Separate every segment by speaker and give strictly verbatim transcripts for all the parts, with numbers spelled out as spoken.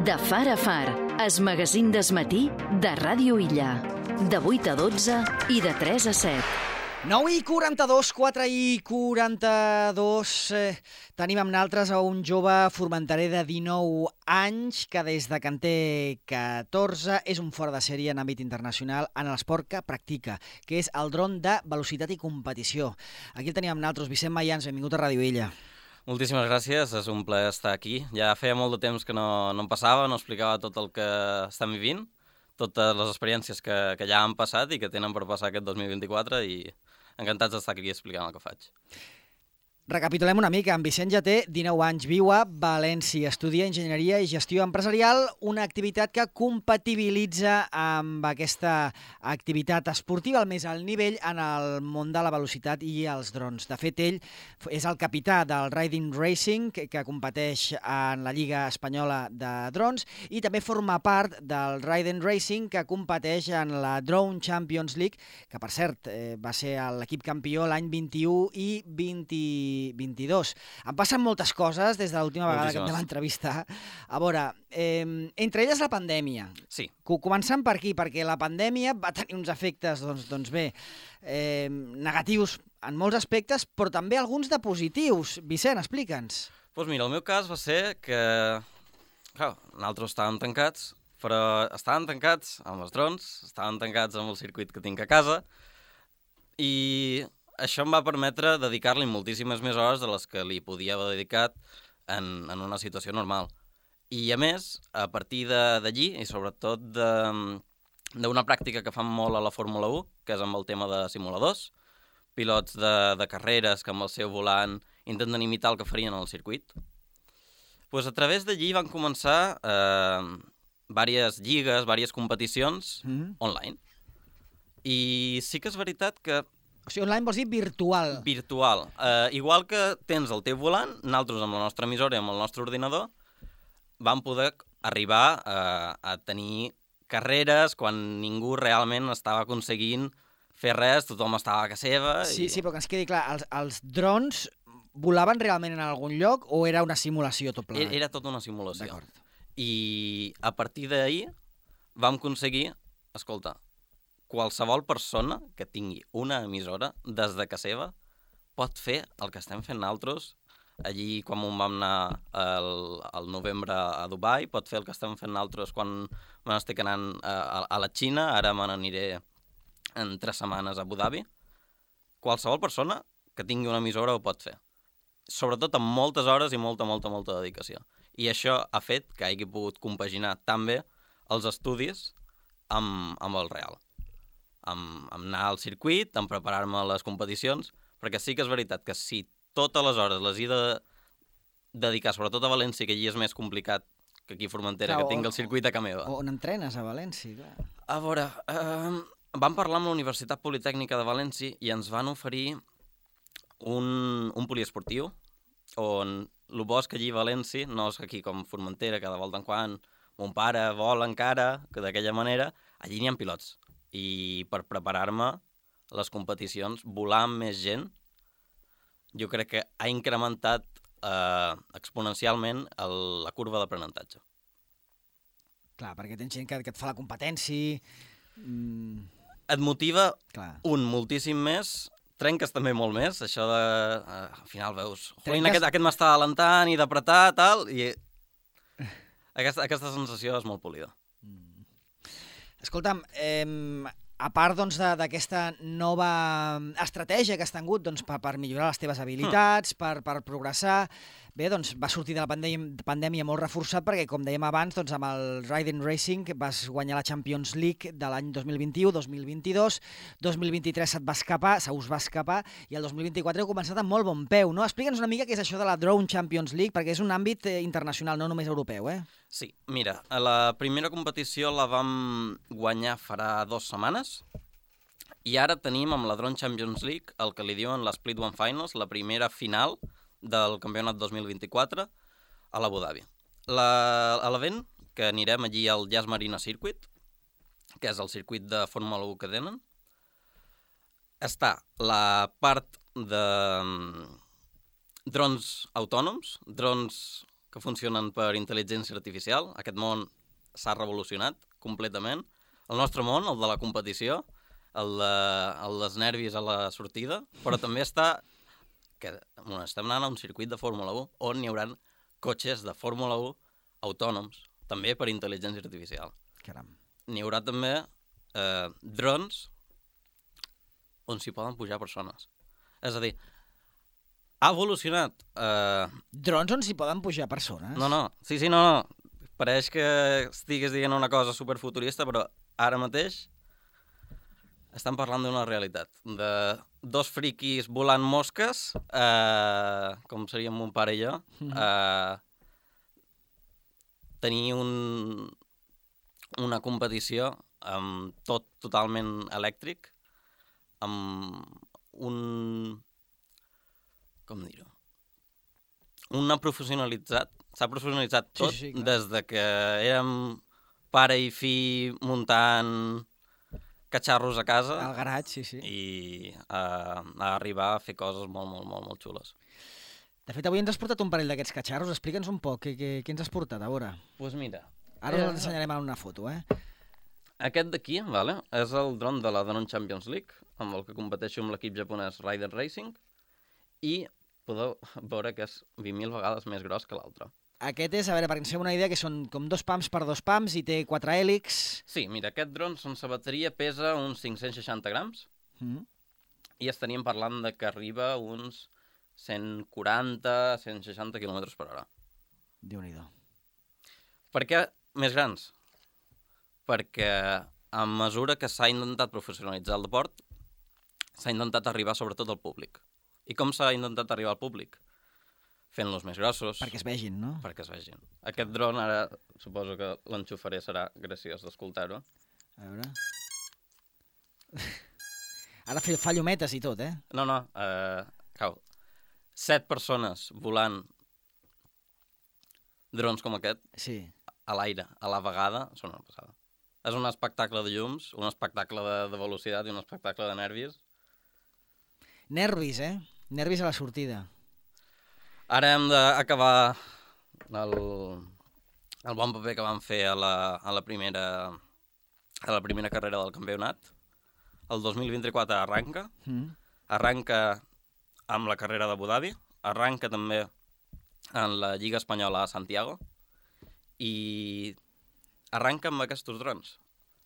Speaker 1: De far a far, es magazín d'esmatí de Ràdio Illa. De vuit a dotze i de tres a set.
Speaker 2: nou i quaranta-dos, quatre i quaranta-dos. Eh, tenim amb naltres a un jove formenterer de dinou anys que des de que en té catorze és un fora de sèrie en àmbit internacional en l'esport que practica, que és el dron de velocitat i competició. Aquí el tenim amb naltres. Vicent Mayans, benvingut a Ràdio Illa.
Speaker 3: Moltíssimes gràcies, és un plaer estar aquí. Ja feia molt de temps que no, no em passava, no explicava tot el que estem vivint, totes les experiències que, que ja han passat i que tenen per passar aquest dos mil vint-i-quatre i encantats d'estar aquí explicant el que faig.
Speaker 2: Recapitulem una mica. En Vicent ja té dinou anys, viu a València, estudia Enginyeria i Gestió Empresarial, una activitat que compatibilitza amb aquesta activitat esportiva al més alt nivell en el món de la velocitat i els drons. De fet, ell és el capità del Riding Racing, que, que competeix en la Lliga Espanyola de Drons, i també forma part del Riding Racing, que competeix en la Drone Champions League, que, per cert, eh, va ser l'equip campió l'any vint-i-u i vint vint-i-dos. Han passat moltes coses des de l'última vegada que em vam entrevistar. A veure, eh, entre elles la pandèmia.
Speaker 3: Sí.
Speaker 2: Començant per aquí, perquè la pandèmia va tenir uns efectes, doncs, doncs bé, eh, negatius en molts aspectes, però també alguns de positius. Vicent, explica'ns.
Speaker 3: Doncs pues mira, el meu cas va ser que, clar, nosaltres estàvem tancats, però estàvem tancats amb els drons, estàvem tancats amb el circuit que tinc a casa, i això em va permetre dedicar-li moltíssimes més hores de les que li podia haver dedicat en, en una situació normal. I a més, a partir d'allí, i sobretot d'una pràctica que fan molt a la Fórmula u, que és amb el tema de simuladors, pilots de, de carreres que amb el seu volant intenten imitar el que farien al circuit, pues a través d'allí van començar eh, diverses lligues, diverses competicions mm-hmm. online. I sí que és veritat que
Speaker 2: o sigui, online vols dir virtual.
Speaker 3: Virtual. Uh, igual que tens el teu volant, nosaltres amb la nostra emissora i amb el nostre ordinador vam poder arribar uh, a tenir carreres quan ningú realment estava aconseguint fer res, tothom estava a casa seva.
Speaker 2: Sí,
Speaker 3: i...
Speaker 2: sí, però que ens quedi clar, els, els drons volaven realment en algun lloc o era una simulació tot plegat?
Speaker 3: Era, era tota una simulació.
Speaker 2: D'acord.
Speaker 3: I a partir d'ahir vam aconseguir, escolta, qualsevol persona que tingui una emissora des de casa seva pot fer el que estem fent nosaltres allí quan vam anar al, al novembre a Dubai, pot fer el que estem fent nosaltres quan me n'estic anant a, a, a la Xina, ara me n'aniré en tres setmanes a Abu Dhabi. Qualsevol persona que tingui una emissora ho pot fer, sobretot amb moltes hores i molta, molta, molta dedicació. I això ha fet que hagi pogut compaginar tan bé els estudis amb, amb el real. Amb, amb anar al circuit, amb preparar-me a les competicions, perquè sí que és veritat que si totes les hores les he de dedicar, sobretot a València, que allí és més complicat que aquí a Formentera, clar, que tinc el circuit a casa meva.
Speaker 2: On entrenes, a València, clar.
Speaker 3: A veure, eh, vam parlar amb la Universitat Politècnica de València i ens van oferir un, un poliesportiu, on el bosc allí a València, no és aquí com Formentera, que de volta en quan mon pare vol encara, que d'aquella manera, allí n'hi ha pilots. I per preparar-me les competicions, volar amb més gent, jo crec que ha incrementat eh, exponencialment el, la curva d'aprenentatge.
Speaker 2: Clar, perquè tens gent que, que et fa la competència... Mm...
Speaker 3: Et motiva,
Speaker 2: clar,
Speaker 3: un, moltíssim més, trenques també molt més, això de... Eh, al final veus,
Speaker 2: trenques...
Speaker 3: aquest, aquest m'està alentant i d'apretar, tal, i aquesta, aquesta sensació és molt polida.
Speaker 2: Mm. Escolta'm, eh, a part doncs, d'aquesta nova estratègia que has tingut doncs, per, per millorar les teves habilitats, mm. per, per progressar, bé, doncs va sortir de la pandèmia, pandèmia molt reforçat perquè, com dèiem abans, doncs, amb el Riding Racing vas guanyar la Champions League de l'any dos mil vint-i-u, dos mil vint-i-dos, dos mil vint-i-tres se't va escapar, se us va escapar, i el dos mil vint-i-quatre heu començat amb molt bon peu, no? Explica'ns una mica què és això de la Drone Champions League, perquè és un àmbit eh, internacional, no només europeu, eh?
Speaker 3: Sí, mira, la primera competició la vam guanyar farà dues setmanes i ara tenim amb la Drone Champions League el que li diuen la Split One Finals, la primera final del campionat dos mil vint-i-quatre a l'Abu Dhabi. A l'event, que anirem allí al Yas Marina Circuit, que és el circuit de Fórmula u que tenen, està la part de drons autònoms, drons que funcionen per intel·ligència artificial. Aquest món s'ha revolucionat completament. El nostre món, el de la competició, el, de, el dels nervis a la sortida, però també està que bueno, estem anant a un circuit de Fórmula u on hi haurà cotxes de Fórmula u autònoms, també per intel·ligència artificial.
Speaker 2: Caram.
Speaker 3: N'hi haurà també eh, drons on s'hi poden pujar persones. És a dir, ha evolucionat... Eh...
Speaker 2: Drons on s'hi poden pujar persones?
Speaker 3: No, no, sí, sí, no, no. Pareix que estigues dient una cosa superfuturista, però ara mateix estan parlant d'una realitat. De dos friquis volant mosques, eh, com seríem mon pare i jo, eh, tenir un, una competició amb tot totalment elèctric, amb un... com dir-ho? Una professionalitzat, s'ha professionalitzat tot, sí, sí, sí, des de que érem pare i fill muntant catxarros a casa.
Speaker 2: Al garatge, sí, sí.
Speaker 3: I a, a arribar a fer coses molt, molt, molt, molt xules.
Speaker 2: De fet, avui ens has portat un parell d'aquests catxarros. Explica'ns un poc, què, què, què ens has portat, a veure?
Speaker 3: Doncs pues mira...
Speaker 2: Ara eh, us l'ensenyarem en una foto, eh?
Speaker 3: Aquest d'aquí, vale, és el dron de la Danon Champions League, amb el que competeixo amb l'equip japonès Rider Racing, i podeu veure que és vint mil vegades més gros que l'altre.
Speaker 2: Aquest és, a veure, perquè ens fem una idea que són com dos pams per dos pams i té quatre hèlix.
Speaker 3: Sí, mira, aquest dron sense bateria pesa uns cinc-cents seixanta grams mm. i estaríem parlant de que arriba uns cent quaranta a cent seixanta quilòmetres per hora.
Speaker 2: Déu-n'hi-do.
Speaker 3: Per què més grans? Perquè a mesura que s'ha intentat professionalitzar el deport, s'ha intentat arribar sobretot al públic. I com s'ha intentat arribar al públic? Fent-los més grossos.
Speaker 2: Perquè es vegin, no?
Speaker 3: Perquè es vegin. Aquest dron, ara suposo que l'enxufaré, serà graciós d'escoltar-ho.
Speaker 2: A veure... Ara fa llumetes i tot, eh?
Speaker 3: No, no, eh, cau. Set persones volant drons com aquest,
Speaker 2: sí,
Speaker 3: a l'aire, a la vegada, són una passada. És un espectacle de llums, un espectacle de, de velocitat i un espectacle de nervis.
Speaker 2: Nervis, eh? Nervis a la sortida.
Speaker 3: Ara hem d'acabar el, el bon paper que vam fer a la, a la, primera, a la primera carrera del campionat. El dos mil vint-i-quatre arranca. Mm. Arranca amb la carrera d'Abu Dhabi. Arranca també en la Lliga Espanyola a Santiago. I arranca amb aquests drons.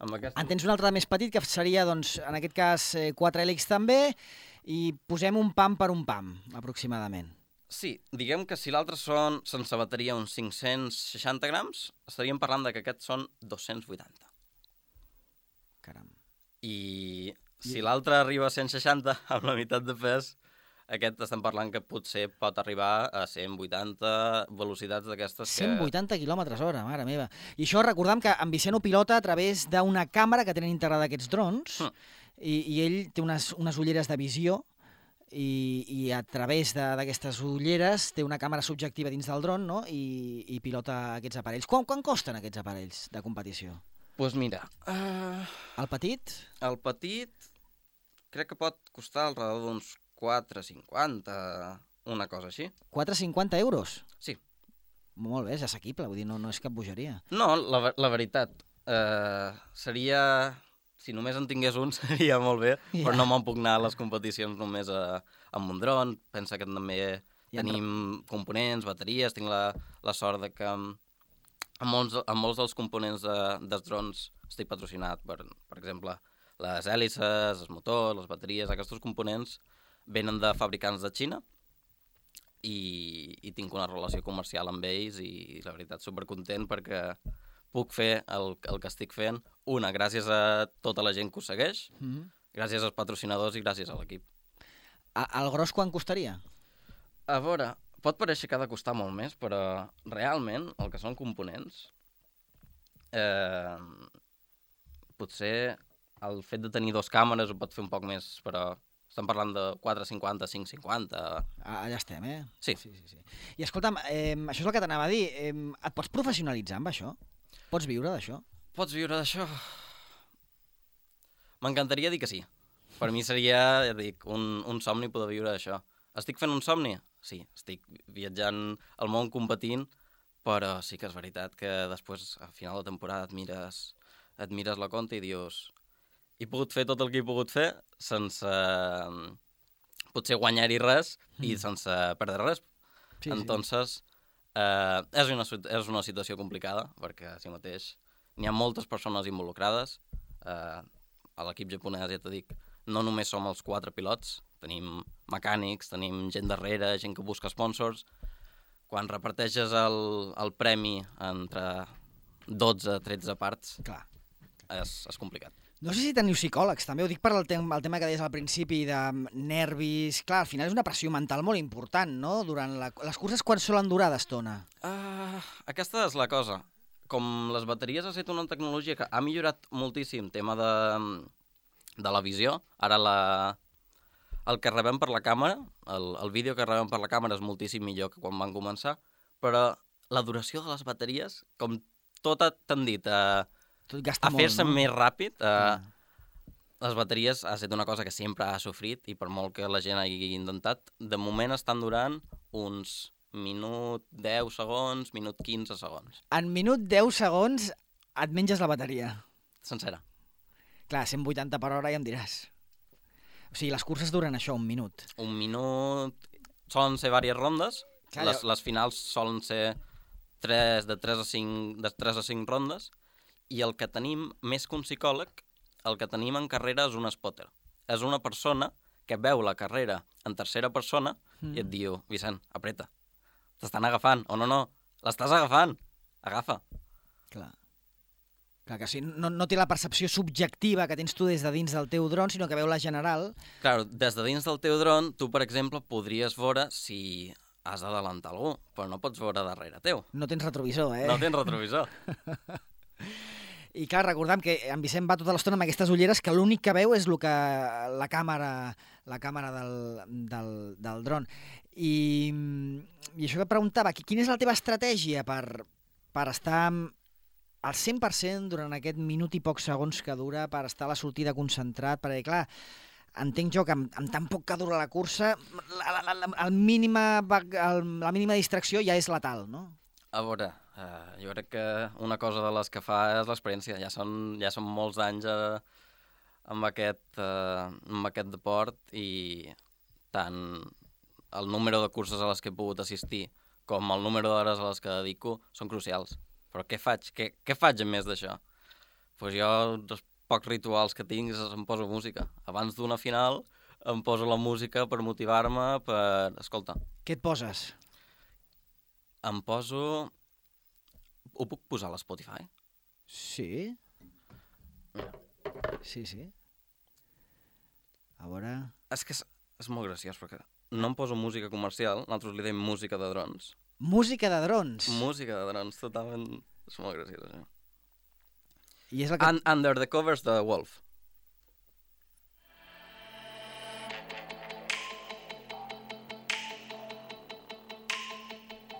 Speaker 3: Amb aquests...
Speaker 2: En tens un altre més petit, que seria, doncs, en aquest cas, quatre hèlix també, i posem un pam per un pam, aproximadament.
Speaker 3: Sí, diguem que si l'altre són sense bateria uns cinc-cents seixanta grams, estaríem parlant de que aquests són dos-cents vuitanta.
Speaker 2: Caram.
Speaker 3: I si I... l'altre arriba a cent seixanta, amb la meitat de pes, aquest estem parlant que potser pot arribar a cent vuitanta velocitats d'aquestes que...
Speaker 2: cent vuitanta quilòmetres hora, mare meva. I això recordem que en Vicent ho pilota a través d'una càmera que tenen integrada aquests drons, mm. i, i ell té unes, unes ulleres de visió, i, i a través d'aquestes ulleres té una càmera subjectiva dins del dron, no? I, i pilota aquests aparells. Quan, quan costen aquests aparells de competició?
Speaker 3: Doncs pues mira... Uh...
Speaker 2: El petit?
Speaker 3: El petit crec que pot costar al redor d'uns quatre cinquanta, una cosa així.
Speaker 2: quatre cinquanta euros?
Speaker 3: Sí.
Speaker 2: Molt bé, és assequible, vull dir, no, no és cap bogeria.
Speaker 3: No, la, la veritat, eh, seria... Si només en tingués un seria molt bé, yeah. però no me'n puc anar a les competicions només a, amb un dron. Pensa que també ja tenim en... components, bateries, tinc la, la sort de que amb, amb, molts, amb molts dels components de, dels drons estic patrocinat per, per exemple, les hèlices, els motors, les bateries, aquests components venen de fabricants de Xina i, i tinc una relació comercial amb ells i la veritat supercontent perquè puc fer el, el que estic fent, una, gràcies a tota la gent que ho segueix, mm-hmm. gràcies als patrocinadors i gràcies a l'equip.
Speaker 2: El gros quan costaria?
Speaker 3: A veure, pot pareixer que ha de costar molt més, però realment el que són components, eh, potser el fet de tenir dos càmeres ho pot fer un poc més, però estem parlant de quatre cinquanta, cinc cinquanta...
Speaker 2: Ah, allà estem, eh?
Speaker 3: Sí.
Speaker 2: sí, sí, sí. I escolta'm, eh, això és el que t'anava a dir, eh, et pots professionalitzar amb això? Pots viure d'això?
Speaker 3: Pots viure d'això? M'encantaria dir que sí. Per mi seria, ja dic, un, un somni poder viure d'això. Estic fent un somni? Sí, estic viatjant al món competint però sí que és veritat que després, al final de temporada, et mires, et mires la compta i dius he pogut fer tot el que he pogut fer sense potser guanyar-hi res mm. i sense perdre res. Sí, Entonces, sí. Eh, és, una, és una situació complicada, perquè així mateix n'hi ha moltes persones involucrades. Eh, a l'equip japonès, ja t'ho dic, no només som els quatre pilots, tenim mecànics, tenim gent darrere, gent que busca sponsors. Quan reparteixes el, el premi entre dotze tretze parts, clar, és, és complicat.
Speaker 2: No sé si teniu psicòlegs, també ho dic per el, tem el tema que deies al principi de nervis. Clar, al final és una pressió mental molt important, no? Durant la... les curses, quan solen durar d'estona?
Speaker 3: Uh, aquesta és la cosa. Com les bateries ha estat una tecnologia que ha millorat moltíssim tema de, de la visió, ara la, el que rebem per la càmera, el, el vídeo que rebem per la càmera és moltíssim millor que quan van començar, però la duració de les bateries, com tot ha tendit a, a fer-se no? més ràpid, a, mm. les bateries ha estat una cosa que sempre ha sofrit i per molt que la gent hagi intentat, de moment estan durant uns minut deu segons, minut quinze segons.
Speaker 2: En minut deu segons et menges la bateria.
Speaker 3: Sencera.
Speaker 2: Clar, cent vuitanta per hora ja em diràs. O sigui, les curses duren això, un minut.
Speaker 3: Un minut... Solen ser diverses rondes. Clar, les, jo... les finals solen ser tres, de tres a cinc rondes. I el que tenim, més que un psicòleg, el que tenim en carrera és un spotter. És una persona que veu la carrera en tercera persona mm. i et diu, Vicent, apreta. T'estan agafant, o no, no, l'estàs agafant, agafa.
Speaker 2: Clar. Clar que sí, no, no té la percepció subjectiva que tens tu des de dins del teu dron, sinó que veu la general.
Speaker 3: Clar, des de dins del teu dron, tu, per exemple, podries veure si has d'adelantar algú, però no pots veure darrere teu.
Speaker 2: No tens retrovisor, eh?
Speaker 3: No tens retrovisor.
Speaker 2: I clar, recordem que en Vicent va tota l'estona amb aquestes ulleres que l'únic que veu és el que la càmera, la càmera del, del, del dron. I, I això que preguntava, quina és la teva estratègia per, per estar al cent per cent durant aquest minut i pocs segons que dura, per estar a la sortida concentrat? Perquè, clar, entenc jo que amb, amb tan poc que dura la cursa, la, la, la, el mínima, el, la mínima distracció ja és letal, no?
Speaker 3: A veure, uh, jo crec que una cosa de les que fa és l'experiència. Ja són, ja són molts anys uh, amb, aquest, uh, amb aquest deport i tant el número de curses a les que he pogut assistir com el número d'hores a les que dedico són crucials. Però què faig? Què, què faig a més d'això? Pues jo, els pocs rituals que tinc, és em poso música. Abans d'una final em poso la música per motivar-me, per... Escolta.
Speaker 2: Què et poses?
Speaker 3: Em poso... Ho puc posar a l'Spotify?
Speaker 2: Sí. Sí, sí. A veure...
Speaker 3: És que és, és molt graciós, perquè no em poso música comercial, nosaltres li dèiem música de drons.
Speaker 2: Música de drons?
Speaker 3: Música de drons, totalment... És molt graciós, això.
Speaker 2: I és el que...
Speaker 3: And, Under the Covers de Wolf.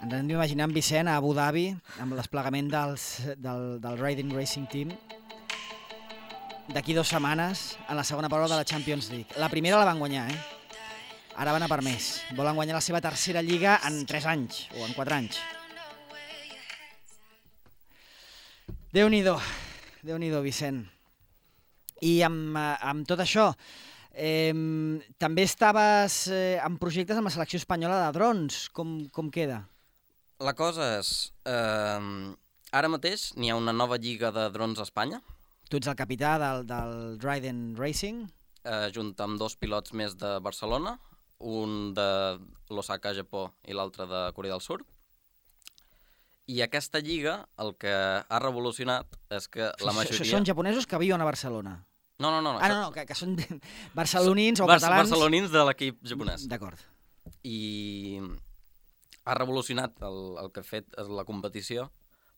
Speaker 2: Ens hem d'imaginar en Vicent a Abu Dhabi, amb el desplegament dels, del, del Riding Racing Team, d'aquí dues setmanes, en la segona prova de la Champions League. La primera la van guanyar, eh? Ara van a per més. Volen guanyar la seva tercera lliga en tres anys, o en quatre anys. Déu-n'hi-do, Déu-n'hi-do, Vicent. I amb, amb tot això, eh, també estaves eh, en projectes amb la selecció espanyola de drons. Com, com queda?
Speaker 3: La cosa és, eh, ara mateix n'hi ha una nova lliga de drons a Espanya.
Speaker 2: Tu ets el capità del, del Riding Racing.
Speaker 3: Eh, junt amb dos pilots més de Barcelona, un de l'Osaka, Japó, i l'altre de Corea del Sur. I aquesta lliga, el que ha revolucionat és que la majoria...
Speaker 2: Això són japonesos que viuen a Barcelona?
Speaker 3: No, no, no. no
Speaker 2: ah, no, no, que, que són barcelonins o
Speaker 3: Bar
Speaker 2: catalans...
Speaker 3: Barcelonins de l'equip japonès.
Speaker 2: D'acord.
Speaker 3: I ha revolucionat el, el que ha fet és la competició,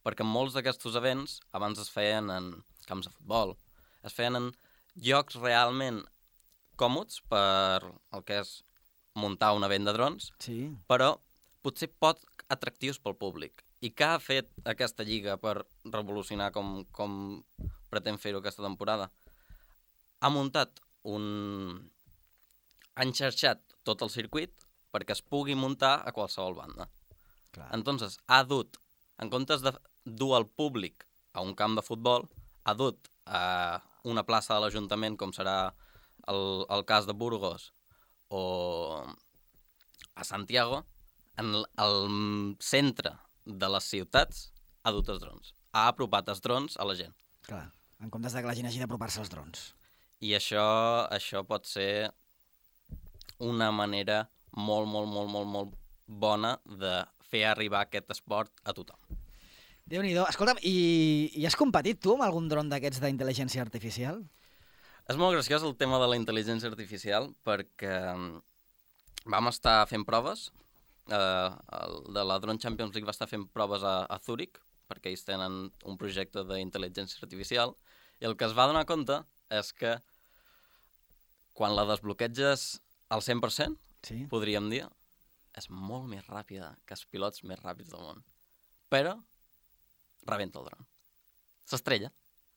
Speaker 3: perquè molts d'aquests events abans es feien en camps de futbol, es feien en llocs realment còmodes per el que és muntar un event de drons,
Speaker 2: sí.
Speaker 3: Però potser poc atractius pel públic. I què ha fet aquesta lliga per revolucionar com, com pretén fer-ho aquesta temporada? Ha muntat un... ha enxarxat tot el circuit perquè es pugui muntar a qualsevol banda.
Speaker 2: Clar.
Speaker 3: Entonces, ha dut En comptes de dur el públic a un camp de futbol, ha dut a una plaça de l'Ajuntament, com serà el, el cas de Burgos o a Santiago, en el centre de les ciutats ha dut els drons. Ha apropat els drons a la gent.
Speaker 2: Clar, en comptes de que la gent hagi d'apropar-se als drons.
Speaker 3: I això, això pot ser una manera molt, molt, molt, molt, molt bona de fer arribar aquest esport a tothom.
Speaker 2: Déu-n'hi-do. Escolta'm, i, i has competit tu amb algun dron d'aquests d'intel·ligència artificial?
Speaker 3: És molt graciós el tema de la intel·ligència artificial perquè vam estar fent proves. Eh, el de la Drone Champions League va estar fent proves a, a Zúrich perquè ells tenen un projecte d'intel·ligència artificial i el que es va donar compte és que quan la desbloqueges al cent per cent,
Speaker 2: Sí.
Speaker 3: podríem dir, és molt més ràpida que els pilots més ràpids del món. Però rebenta el dron. S'estrella.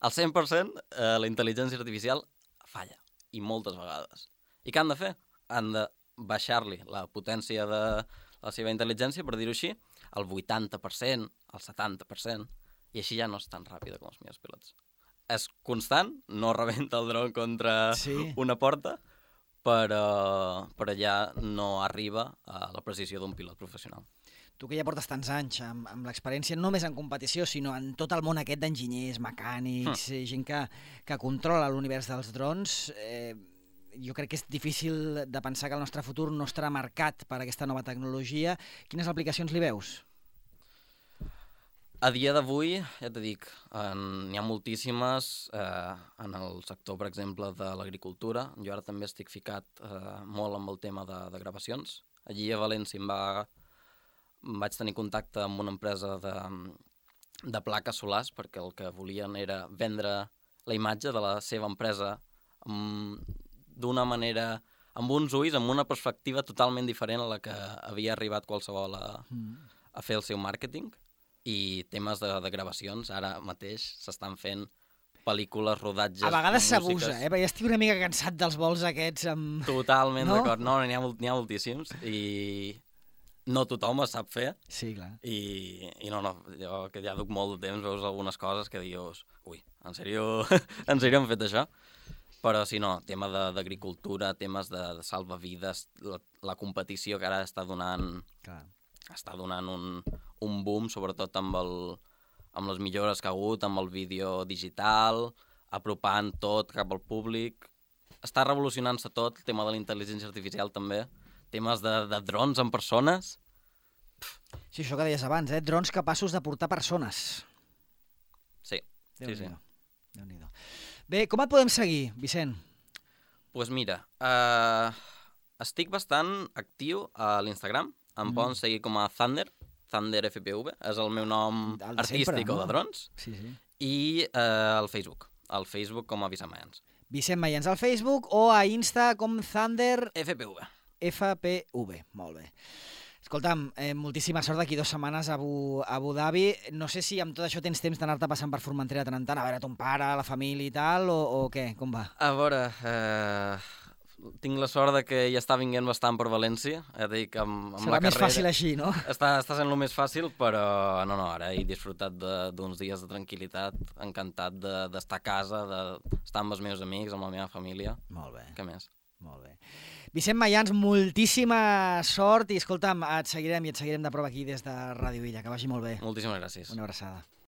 Speaker 3: Al cent per cent eh, la intel·ligència artificial falla, i moltes vegades. I què han de fer? Han de baixar-li la potència de la seva intel·ligència, per dir-ho així, al vuitanta per cent, al setanta per cent, i així ja no és tan ràpida com els millors pilots. És constant, no rebenta el dron contra
Speaker 2: Sí.
Speaker 3: una porta, però, però ja no arriba a la precisió d'un pilot professional.
Speaker 2: Tu que ja portes tants anys amb, amb l'experiència, no només en competició, sinó en tot el món aquest d'enginyers, mecànics, mm. gent que, que controla l'univers dels drons, eh, jo crec que és difícil de pensar que el nostre futur no estarà marcat per aquesta nova tecnologia. Quines aplicacions li veus?
Speaker 3: A dia d'avui, ja t'he dic, n'hi ha moltíssimes eh, en el sector, per exemple, de l'agricultura. Jo ara també estic ficat eh, molt amb el tema de, de gravacions. Allí a València em va, vaig tenir contacte amb una empresa de, de plaques solars perquè el que volien era vendre la imatge de la seva empresa d'una manera, amb uns ulls, amb una perspectiva totalment diferent a la que havia arribat qualsevol a, a fer el seu màrqueting. I temes de, de gravacions, ara mateix s'estan fent pel·lícules, rodatges...
Speaker 2: A vegades
Speaker 3: músiques...
Speaker 2: s'abusa, eh? Perquè ja estic una mica cansat dels vols aquests amb...
Speaker 3: Totalment
Speaker 2: no?
Speaker 3: d'acord. No, n'hi ha, n'hi ha moltíssims i no tothom es sap fer.
Speaker 2: Sí, clar.
Speaker 3: I, i no, no, jo que ja duc molt de temps veus algunes coses que dius ui, en sèrio, en sèrio han fet això? Però si no, tema d'agricultura, temes de, de salvavides, la, la competició que ara està donant...
Speaker 2: Clar.
Speaker 3: està donant un, un boom, sobretot amb, el, amb les millores que ha hagut, amb el vídeo digital, apropant tot cap al públic. Està revolucionant-se tot, el tema de la intel·ligència artificial també, temes de, de drons en persones.
Speaker 2: Sí, això que deies abans, eh? Drons capaços de portar persones.
Speaker 3: Sí, sí, sí.
Speaker 2: Déu-n'hi-do. Bé, com et podem seguir, Vicent?
Speaker 3: Doncs pues mira, uh, estic bastant actiu a l'Instagram. Em mm. poden seguir com a Thunder, Thunder F P V, és el meu nom el artístic sempre, no? O de drons.
Speaker 2: Sí, sí.
Speaker 3: I eh, el Facebook, el Facebook com a Vicent Mayans.
Speaker 2: Vicent Mayans al Facebook o a Insta com Thunder...
Speaker 3: F P V.
Speaker 2: F P V, molt bé. Escolta'm, eh, moltíssima sort d'aquí dues setmanes a Abu, a Abu Dhabi. No sé si amb tot això tens temps d'anar-te passant per Formentera tant en tant, a veure ton pare, la família i tal, o, o què? Com va?
Speaker 3: A veure... Eh... Tinc la sort de que ja està vinguent bastant per València. Ja dic, amb, amb
Speaker 2: Serà
Speaker 3: la
Speaker 2: més
Speaker 3: carrera...
Speaker 2: fàcil així, no?
Speaker 3: Està, està sent el més fàcil, però no, no, ara he disfrutat d'uns dies de tranquil·litat, encantat d'estar a casa, d'estar amb els meus amics, amb la meva família.
Speaker 2: Molt bé.
Speaker 3: Què més?
Speaker 2: Molt bé. Vicent Mayans, moltíssima sort i, escolta'm, et seguirem i et seguirem de prova aquí des de Ràdio Illa. Que vagi molt bé.
Speaker 3: Moltíssimes gràcies.
Speaker 2: Una abraçada.